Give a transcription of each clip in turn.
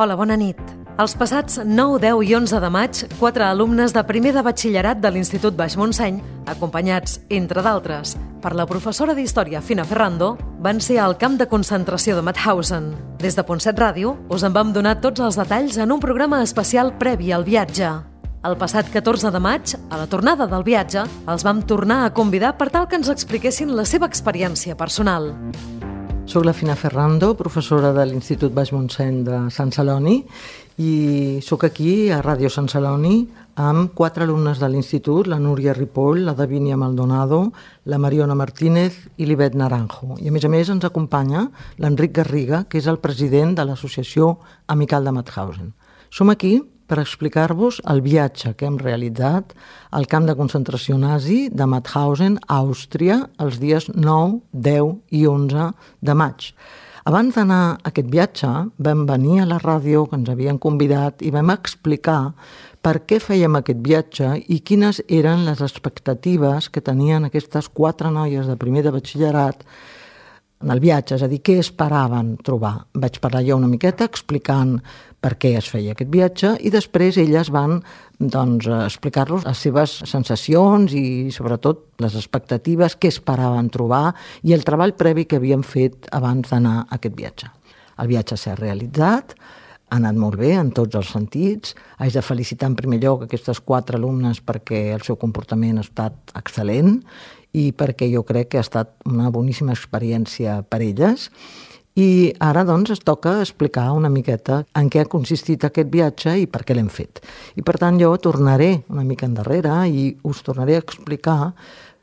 Hola, bona nit. Els passats 9, 10 i 11 de maig, 4 alumnes de primer de batxillerat de l'Institut Baix Montseny, acompanyats, entre d'altres, per la professora d'Història Fina Ferrando, van ser al camp de concentració de Mauthausen. Des de Ponset Ràdio us en vam donar tots els detalls en un programa especial previ al viatge. El passat 14 de maig, a la tornada del viatge, els vam tornar a convidar per tal que ens expliquessin la seva experiència personal. Soc la Fina Ferrando, professora de l'Institut Baix Montseny de Sant Celoni, i soc aquí a Ràdio Sant Celoni amb 4 alumnes de l'Institut, la Núria Ripoll, la Davínia Maldonado, la Mariona Martínez i l'Ivet Naranjo. I a més ens acompanya l'Enric Garriga, que és el president de l'Associació Amical de Mauthausen. Som aquí per explicar-vos el viatge que hem realitzat al camp de concentració nazi de Mauthausen, Àustria, els dies 9, 10 i 11 de maig. Abans d'anar a aquest viatge, vam venir a la ràdio que ens havien convidat i vam explicar per què fèiem aquest viatge i quines eren les expectatives que tenien aquestes 4 noies de primer de batxillerat en el viatge, és a dir, què esperaven trobar. Vaig parlar jo una miqueta explicant per què es feia aquest viatge i després elles van explicar-los les seves sensacions i sobretot les expectatives, què esperaven trobar i el treball previ que havien fet abans d'anar a aquest viatge. El viatge s'ha realitzat, ha anat molt bé en tots els sentits. Haig de felicitar en primer lloc aquestes 4 alumnes perquè el seu comportament ha estat excel·lent i perquè jo crec que ha estat una boníssima experiència per elles. I ara, es toca explicar una miqueta en què ha consistit aquest viatge i per què l'hem fet. I, per tant, jo tornaré una mica endarrere i us tornaré a explicar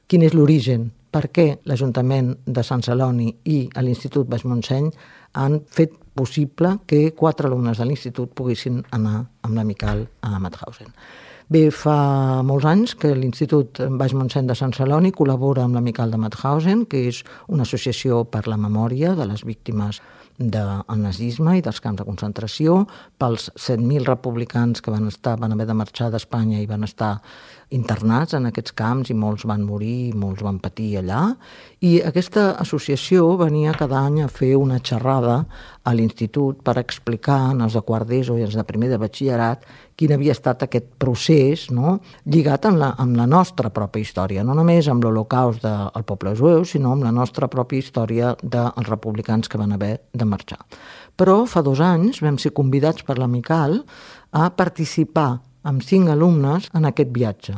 quin és l'origen, per què l'Ajuntament de Sant Celoni i l'Institut Baix Montseny han fet possible que 4 alumnes de l'Institut poguessin anar amb l'Amical a Mauthausen. Bé, fa molts anys que l'Institut Baix Montseny de Sant Celoni col·labora amb l'Amical de Mauthausen, que és una associació per la memòria de les víctimes del nazisme i dels camps de concentració, pels 7.000 republicans que van haver de marxar d'Espanya i van estar internats en aquests camps i molts van morir i molts van patir allà. I aquesta associació venia cada any a fer una xerrada a l'Institut per explicar als de quart d'ESO i als de primer de batxillerat quin havia estat aquest procés, lligat amb la nostra pròpia història, no només amb l'Holocaust del poble jueu, sinó amb la nostra pròpia història dels republicans que van haver de marxar. Però fa 2 anys vam ser convidats per l'Amical a participar amb 5 alumnes en aquest viatge.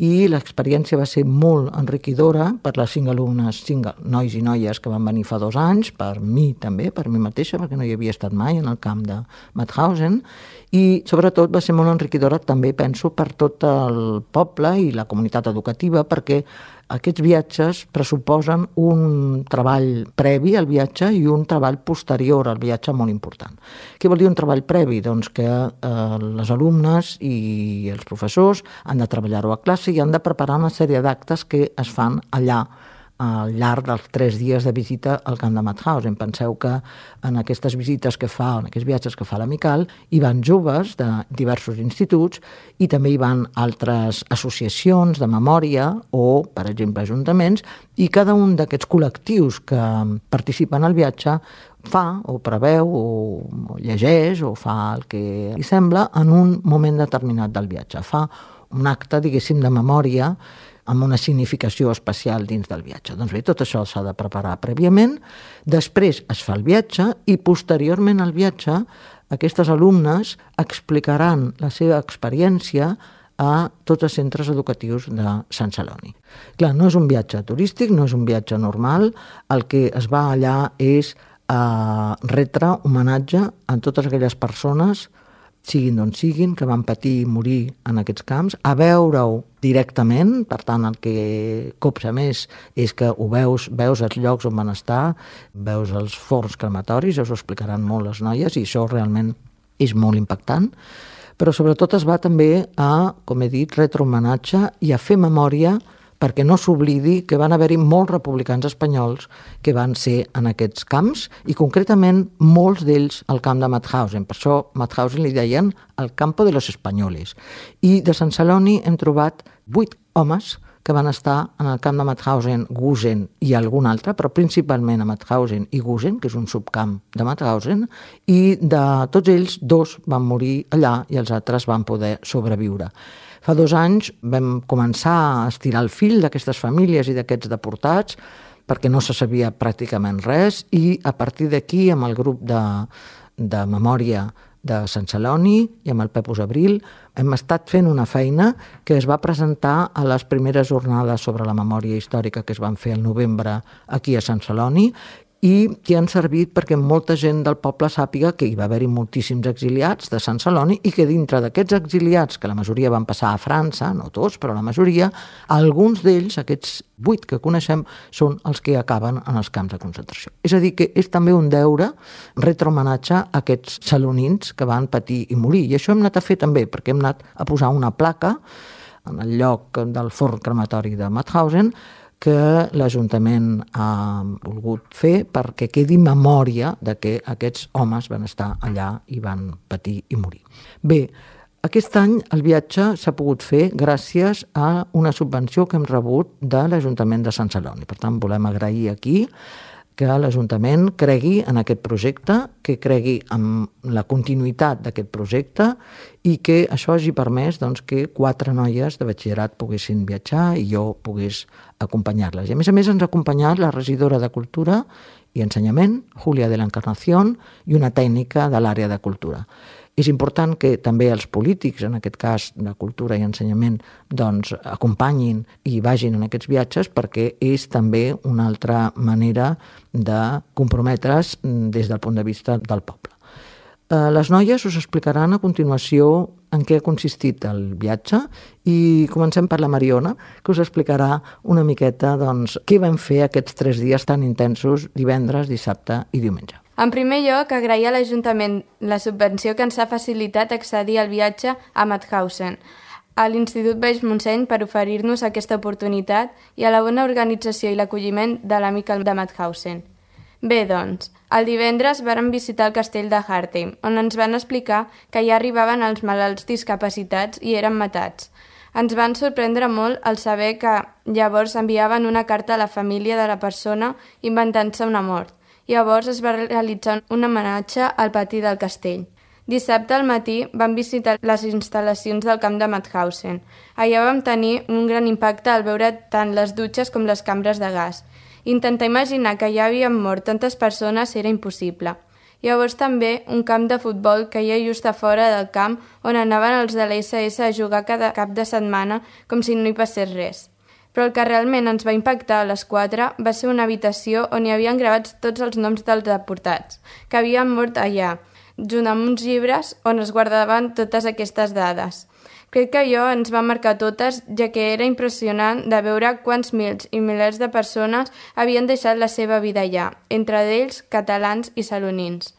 I l'experiència va ser molt enriquidora per les 5 alumnes, 5 nois i noies que van venir fa 2 anys, per mi també, per mi mateixa, perquè no hi havia estat mai en el camp de Mauthausen, i sobretot va ser molt enriquidora també, penso, per tot el poble i la comunitat educativa, perquè aquests viatges pressuposen un treball previ al viatge i un treball posterior al viatge molt important. Què vol dir un treball previ? Doncs que les alumnes i els professors han de treballar-ho a classe i han de preparar una sèrie d'actes que es fan allà al llarg dels 3 dies de visita al camp de Mauthausen. Penseu que en aquestes visites que fa, en aquests viatges que fa l'Amical, hi van joves de diversos instituts i també hi van altres associacions de memòria o, per exemple, ajuntaments, i cada un d'aquests col·lectius que participen al viatge fa o preveu o llegeix o fa el que li sembla en un moment determinat del viatge. Fa un acte, diguéssim, de memòria amb una significació especial dins del viatge. Doncs bé, tot això s'ha de preparar prèviament, després es fa el viatge i posteriorment al viatge aquestes alumnes explicaran la seva experiència a tots els centres educatius de Sant Celoni. Clar, no és un viatge turístic, no és un viatge normal, el que es va allà és a retre homenatge a totes aquelles persones, siguin d'on siguin, que van patir i morir en aquests camps, a veure-ho directament, per tant el que copsa més és que ho veus els llocs on van estar, veus els forns crematoris, us ho explicaran molt les noies i això realment és molt impactant, però sobretot es va també a, com he dit, retre homenatge i a fer memòria perquè no s'oblidi que van haver-hi molts republicans espanyols que van ser en aquests camps i concretament molts d'ells al camp de Mauthausen. Per això Mauthausen li deien el campo de los españoles. I de Sant Celoni hem trobat 8 homes que van estar en el camp de Mauthausen, Gusen i algun altre, però principalment a Mauthausen i Gusen, que és un subcamp de Mauthausen, i de tots ells 2 van morir allà i els altres van poder sobreviure. Fa 2 anys vam començar a estirar el fil d'aquestes famílies i d'aquests deportats perquè no se sabia pràcticament res i a partir d'aquí, amb el grup de memòria de Sant Celoni i amb el Pepus Abril hem estat fent una feina que es va presentar a les primeres jornades sobre la memòria històrica que es van fer al novembre aquí a Sant Celoni i que han servit perquè molta gent del poble sàpiga que hi va haver-hi moltíssims exiliats de Sant Celoni i que dintre d'aquests exiliats, que la majoria van passar a França, no tots, però la majoria, alguns d'ells, aquests 8 que coneixem, són els que acaben en els camps de concentració. És a dir, que és també un deure retrohomenatge a aquests celonins que van patir i morir. I això hem anat a fer també, perquè hem anat a posar una placa en el lloc del forn crematori de Mauthausen que l'Ajuntament ha volgut fer perquè quedi memòria de que aquests homes van estar allà i van patir i morir. Bé, aquest any el viatge s'ha pogut fer gràcies a una subvenció que hem rebut de l'Ajuntament de Sant Celoni. Per tant, volem agrair aquí que l'Ajuntament cregui en aquest projecte, que cregui en la continuïtat d'aquest projecte i que això hagi permès que 4 noies de batxillerat poguessin viatjar i jo pogués acompanyar-les. I a més ens ha acompanyat la regidora de Cultura i Ensenyament, Júlia de la Encarnación, i una tècnica de l'àrea de Cultura. És important que també els polítics, en aquest cas de Cultura i Ensenyament, acompanyin i vagin en aquests viatges perquè és també una altra manera de comprometre's des del punt de vista del poble. Les noies us explicaran a continuació en què ha consistit el viatge i comencem per la Mariona, que us explicarà una miqueta què vam fer aquests 3 dies tan intensos, divendres, dissabte i diumenge. En primer lloc, agrair a l'Ajuntament la subvenció que ens ha facilitat accedir al viatge a Mauthausen, a l'Institut Baix Montseny per oferir-nos aquesta oportunitat i a la bona organització i l'acolliment de l'amic de Mauthausen. Bé, doncs, el divendres vàrem visitar el castell de Hartheim, on ens van explicar que ja arribaven els malalts discapacitats i eren matats. Ens van sorprendre molt el saber que llavors enviaven una carta a la família de la persona inventant-se una mort. Llavors es va realitzar un homenatge al pati del castell. Dissabte al matí vam visitar les instal·lacions del camp de Mauthausen. Allà vam tenir un gran impacte al veure tant les dutxes com les cambres de gas. Intentar imaginar que ja havien mort tantes persones era impossible. Llavors també un camp de futbol que hi ha just a fora del camp on anaven els de l'SS a jugar cada cap de setmana com si no hi passés res. Però el que realment ens va impactar a les 4 va ser una habitació on hi havien gravats tots els noms dels deportats, que havien mort allà, junt amb uns llibres on es guardaven totes aquestes dades. Crec que allò ens va marcar totes, ja que era impressionant de veure quants mils i milers de persones havien deixat la seva vida allà, entre ells catalans i salonins.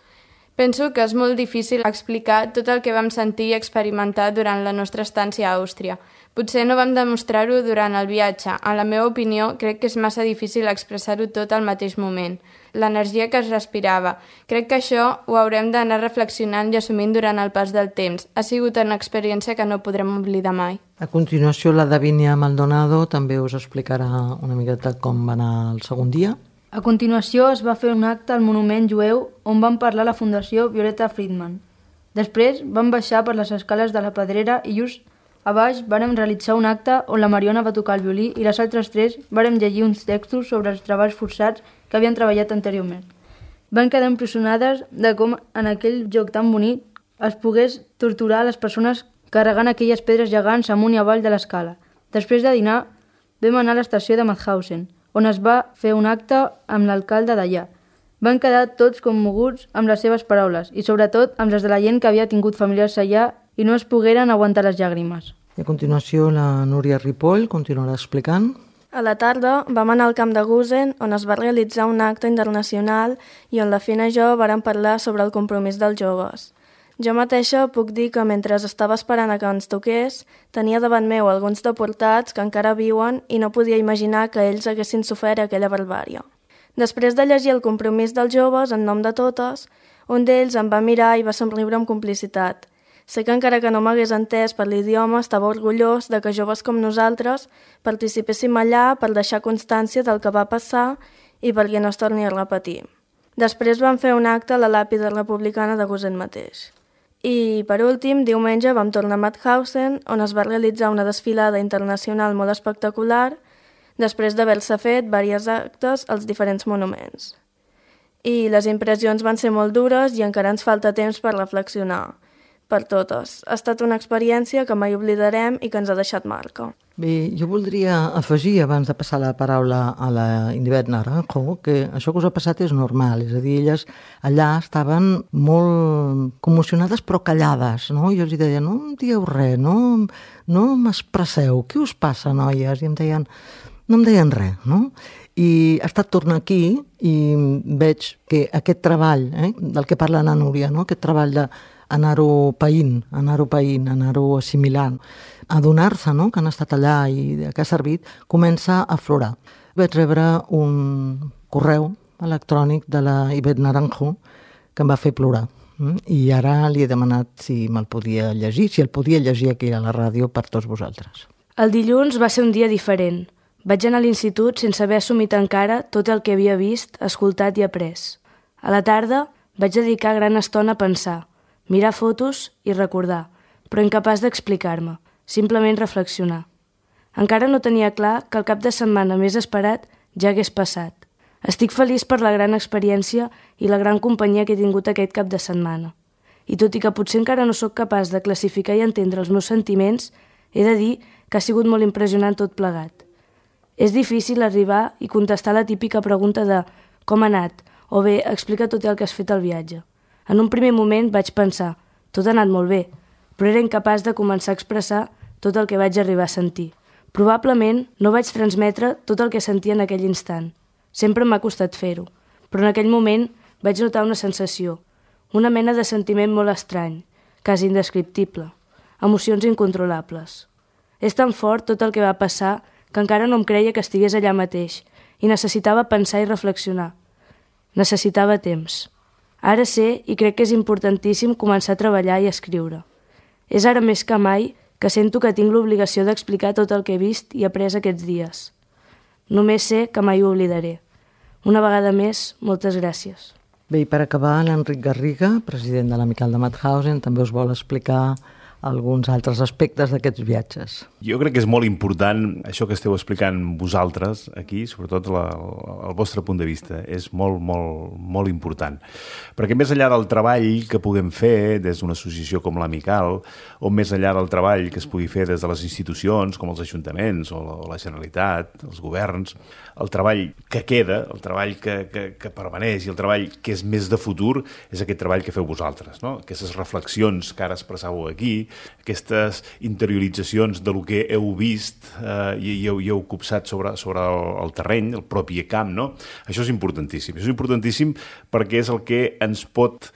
Penso que és molt difícil explicar tot el que vam sentir i experimentar durant la nostra estància a Àustria. Potser no vam demostrar-ho durant el viatge. En la meva opinió, crec que és massa difícil expressar-ho tot al mateix moment. L'energia que es respirava. Crec que això ho haurem d'anar reflexionant i assumint durant el pas del temps. Ha sigut una experiència que no podrem oblidar mai. A continuació, la Davinia Maldonado també us explicarà una miqueta com va anar el segon dia. A continuació es va fer un acte al monument jueu on van parlar la Fundació Violeta Friedman. Després vam baixar per les escales de la Pedrera i just a baix vàrem realitzar un acte on la Mariona va tocar el violí i les altres 3 vàrem llegir uns textos sobre els treballs forçats que havien treballat anteriorment. Van quedar impressionades de com en aquell joc tan bonic es pogués torturar les persones carregant aquelles pedres gegants amunt i avall de l'escala. Després de dinar vam anar a l'estació de Mauthausen, on es va fer un acte amb l'alcalde d'allà. Van quedar tots commoguts amb les seves paraules i sobretot amb les de la gent que havia tingut familiars allà i no es pogueren aguantar les llàgrimes. I a continuació la Núria Ripoll continuarà explicant. A la tarda vam anar al camp de Gusen on es va realitzar un acte internacional i on la Fina i jo vàrem parlar sobre el compromís dels joves. Jo mateixa puc dir que mentre estava esperant a que ens toqués, tenia davant meu alguns deportats que encara viuen i no podia imaginar que ells haguessin sofert aquella barbària. Després de llegir el compromís dels joves en nom de totes, un d'ells em va mirar i va somriure amb complicitat. Sé que encara que no m'hagués entès per l'idioma, estava orgullós de que joves com nosaltres participéssim allà per deixar constància del que va passar i perquè no es torni a repetir. Després vam fer un acte a la làpida republicana de Gusen mateix. I, per últim, diumenge vam tornar a Mauthausen, on es va realitzar una desfilada internacional molt espectacular, després d'haver-se fet diversos actes als diferents monuments. I les impressions van ser molt dures i encara ens falta temps per reflexionar. Per totes. Ha estat una experiència que mai oblidarem i que ens ha deixat marca. Bé, jo voldria afegir, abans de passar la paraula a la Indivet Naranjo, que això que us ha passat és normal, és a dir, elles allà estaven molt commocionades però callades, no? Jo els deia, no em dieu res, no m'expresseu, què us passa, noies? I no em deien res, no? I ha estat tornar aquí i veig que aquest treball, del que parla la Núria, no? Aquest treball d'anar-ho païnt, anar-ho assimilant, adonar-se, no?, que han estat allà i que ha servit, comença a aflorar. Vaig rebre un correu electrònic de la Ivet Naranjo que em va fer plorar. I ara li he demanat si me'l podia llegir, si el podia llegir aquí a la ràdio per tots vosaltres. El dilluns va ser un dia diferent. Vaig anar a l'institut sense haver assumit encara tot el que havia vist, escoltat i après. A la tarda vaig dedicar gran estona a pensar, mirar fotos i recordar, però incapaç d'explicar-me, simplement reflexionar. Encara no tenia clar que el cap de setmana més esperat ja hagués passat. Estic feliç per la gran experiència i la gran companyia que he tingut aquest cap de setmana. I tot i que potser encara no sóc capaç de classificar i entendre els meus sentiments, he de dir que ha sigut molt impressionant tot plegat. És difícil arribar i contestar la típica pregunta de com ha anat, o bé, explica tot el que has fet al viatge. En un primer moment vaig pensar, tot ha anat molt bé, però era incapaç de començar a expressar tot el que vaig arribar a sentir. Probablement no vaig transmetre tot el que sentia en aquell instant. Sempre m'ha costat fer-ho, però en aquell moment vaig notar una sensació, una mena de sentiment molt estrany, quasi indescriptible, emocions incontrolables. És tan fort tot el que va passar que encara no em creia que estigués allà mateix i necessitava pensar i reflexionar. Necessitava temps. Ara sé i crec que és importantíssim començar a treballar i a escriure. És ara més que mai que sento que tinc l'obligació d'explicar tot el que he vist i après aquests dies. Només sé que mai ho oblidaré. Una vegada més, moltes gràcies. Bé, i per acabar, l'Enric Garriga, president de l'Amical de Mauthausen, també us vol explicar alguns altres aspectes d'aquests viatges. Jo crec que és molt important això que esteu explicant vosaltres aquí, sobretot el vostre punt de vista. És molt, molt, molt important. Perquè més enllà del treball que puguem fer des d'una associació com l'Amical, o més enllà del treball que es pugui fer des de les institucions, com els ajuntaments o la Generalitat, els governs, el treball que queda, el treball que permaneix i el treball que és més de futur és aquest treball que feu vosaltres, no? Aquestes reflexions que ara expressàveu aquí, aquestes interioritzacions de lo que heu vist i heu copsat sobre el terreny, el propi camp, no? Això és importantíssim. Això és importantíssim perquè és el que ens pot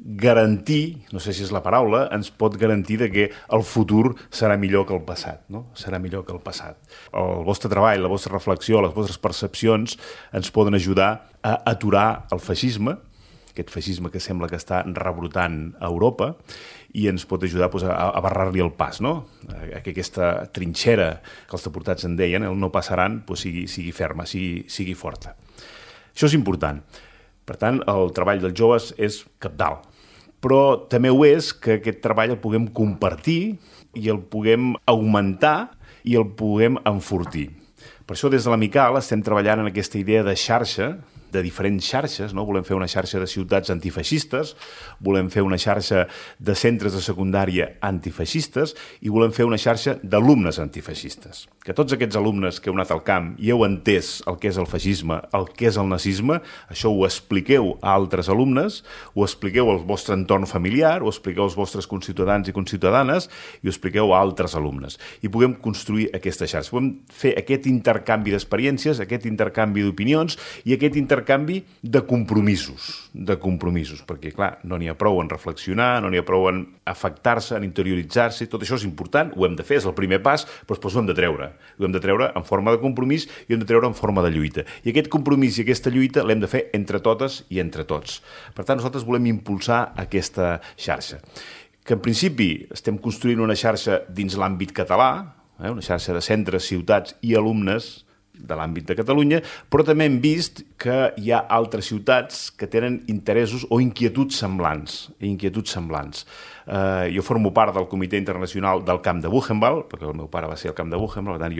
garantir, no sé si és la paraula, ens pot garantir que el futur serà millor que el passat, no? Serà millor que el passat. El vostre treball, la vostra reflexió, les vostres percepcions ens poden ajudar a aturar el feixisme, aquest feixisme que sembla que està rebrotant a Europa, i ens pot ajudar a barrar-li el pas, no? Que aquesta trinxera que els deportats en deien, el no passaran, sigui ferma, sigui forta. Això és important. Per tant, el treball dels joves és cabdal. Però també ho és que aquest treball el puguem compartir i el puguem augmentar i el puguem enfortir. Per això des de l'Amical estem treballant en aquesta idea de xarxa, de diferents xarxes, no? Volem fer una xarxa de ciutats antifeixistes, volem fer una xarxa de centres de secundària antifeixistes i volem fer una xarxa d'alumnes antifeixistes. Que tots aquests alumnes que heu anat al camp i heu entès el que és el feixisme, el que és el nazisme, això ho expliqueu a altres alumnes, ho expliqueu al vostre entorn familiar, ho expliqueu als vostres conciutadans i conciutadanes i ho expliqueu a altres alumnes. I puguem construir aquesta xarxa. Podem fer aquest intercanvi d'experiències, aquest intercanvi d'opinions i aquest intercanvi de compromisos, perquè, clar, no n'hi ha prou en reflexionar, no n'hi ha prou en afectar-se, en interioritzar-se, tot això és important, ho hem de fer, és el primer pas, però després ho hem de treure. Ho hem de treure en forma de compromís i ho hem de treure en forma de lluita. I aquest compromís i aquesta lluita l'hem de fer entre totes i entre tots. Per tant, nosaltres volem impulsar aquesta xarxa. que en principi estem construint una xarxa dins l'àmbit català, una xarxa de centres, ciutats i alumnes de l'àmbit de Catalunya, però també hem vist que hi ha altres ciutats que tenen interessos o inquietuds semblants. Jo formo part del Comitè Internacional del Camp de Buchenwald, perquè el meu pare va ser al Camp de Buchenwald, per tant,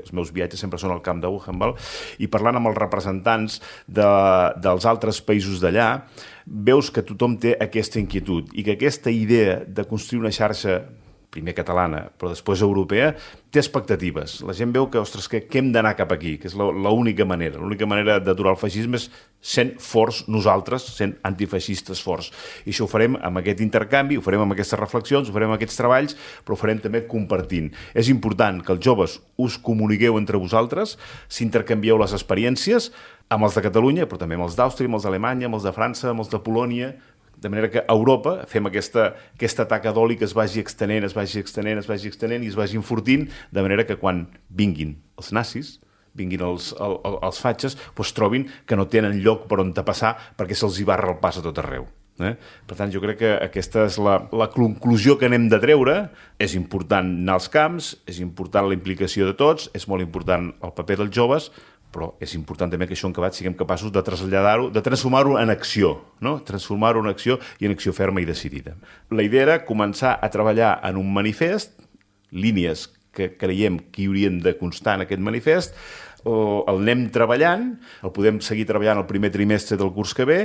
els meus viatges sempre són al Camp de Buchenwald, i parlant amb els representants dels altres països d'allà, veus que tothom té aquesta inquietud i que aquesta idea de construir una xarxa primer catalana, però després europea, té expectatives. La gent veu que, ostres, que hem d'anar cap aquí, que és l'única manera. L'única manera d'aturar el feixisme és sent forts nosaltres, sent antifeixistes forts. I això ho farem amb aquest intercanvi, ho farem amb aquestes reflexions, ho farem amb aquests treballs, però ho farem també compartint. És important que els joves us comuniqueu entre vosaltres, s'intercanvieu les experiències amb els de Catalunya, però també amb els d'Àustria, amb els d'Alemanya, amb els de França, amb els de Polònia, de manera que a Europa fem aquesta taca d'oli que es vagi extenent i es vagi enfortint, de manera que quan vinguin els nazis, vinguin els fatxes, doncs trobin que no tenen lloc per on passar perquè se'ls hi barra el pas a tot arreu. Per tant, jo crec que aquesta és la conclusió que n'hem de treure. És important anar als camps, és important la implicació de tots, és molt important el paper dels joves, però és important també que això en acabat siguem capaços de traslladar-ho, de transformar-ho en acció, no? Transformar-ho en acció i en acció ferma i decidida. La idea era començar a treballar en un manifest, línies que creiem que hi haurien de constar en aquest manifest, el anem treballant, el podem seguir treballant el primer trimestre del curs que ve,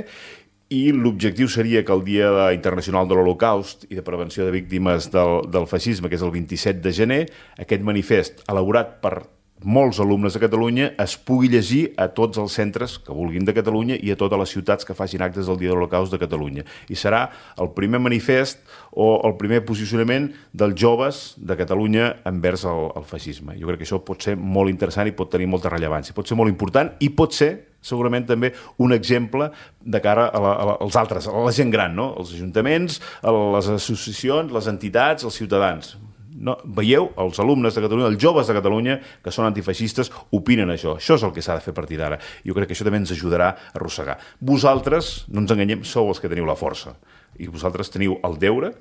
i l'objectiu seria que el Dia Internacional de l'Holocaust i de Prevenció de Víctimes del Feixisme, que és el 27 de gener, aquest manifest elaborat per molts alumnes de Catalunya es pugui llegir a tots els centres que vulguin de Catalunya i a totes les ciutats que facin actes del Dia de l'Holocaust de Catalunya. I serà el primer manifest o el primer posicionament dels joves de Catalunya envers el feixisme. Jo crec que això pot ser molt interessant i pot tenir molta rellevància. Pot ser molt important i pot ser segurament també un exemple de cara als altres, a la gent gran, no? Els ajuntaments, les associacions, les entitats, els ciutadans. No, veieu, els alumnes de Catalunya, els joves de Catalunya, que són antifeixistes, opinen això. Això és el que s'ha de fer a partir d'ara. Jo crec que això també ens ajudarà a arrossegar. Vosaltres, no ens enganyem, sou els que teniu la força. I vosaltres teniu el deure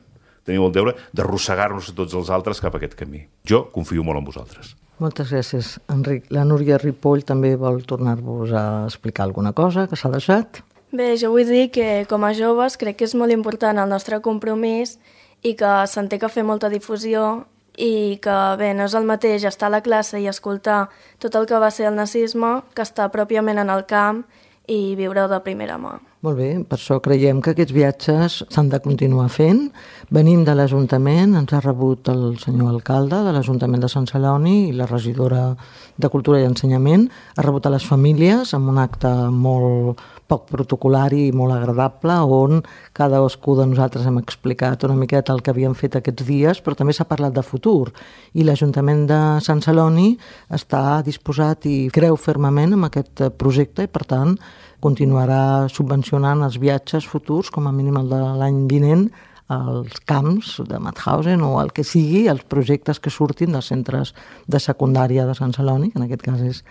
d'arrossegar-nos a tots els altres cap a aquest camí. Jo confio molt en vosaltres. Moltes gràcies, Enric. La Núria Ripoll també vol tornar-vos a explicar alguna cosa que s'ha deixat. Bé, jo vull dir que com a joves crec que és molt important el nostre compromís i que se'n té que fer molta difusió i que, bé, no és el mateix estar a la classe i escoltar tot el que va ser el nazisme que estar pròpiament en el camp i viure-ho de primera mà. Molt bé, per això creiem que aquests viatges s'han de continuar fent. Venim de l'Ajuntament, ens ha rebut el senyor alcalde de l'Ajuntament de Sant Celoni i la regidora de Cultura i Ensenyament. Ha rebut a les famílies amb un acte molt poc protocolari i molt agradable, on cadascú de nosaltres hem explicat una miqueta el que havíem fet aquests dies, però també s'ha parlat de futur. I l'Ajuntament de Sant Celoni està disposat i creu fermament en aquest projecte i, per tant, continuarà subvencionant els viatges futurs, com a mínim el de l'any vinent, als camps de Mauthausen o el que sigui, els projectes que surtin dels centres de secundària de Sant Celoni, que en aquest cas és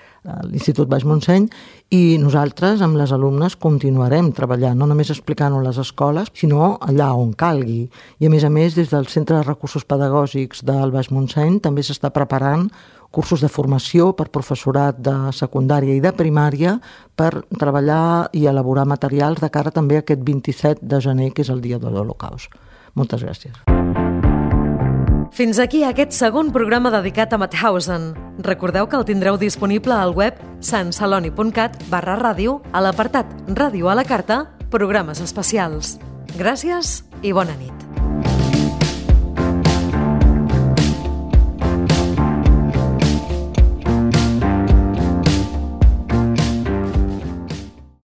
l'Institut Baix Montseny, i nosaltres amb les alumnes continuarem treballant, no només explicant-ho a les escoles, sinó allà on calgui. I a més, des del Centre de Recursos Pedagògics del Baix Montseny també s'està preparant cursos de formació per professorat de secundària i de primària per treballar i elaborar materials de cara també a aquest 27 de gener, que és el Dia de l'Holocaust. Moltes gràcies. Fins aquí aquest segon programa dedicat a Mauthausen. Recordeu que el tindreu disponible al web santceloni.cat/ràdio a l'apartat Ràdio a la carta, programes especials. Gràcies i bona nit.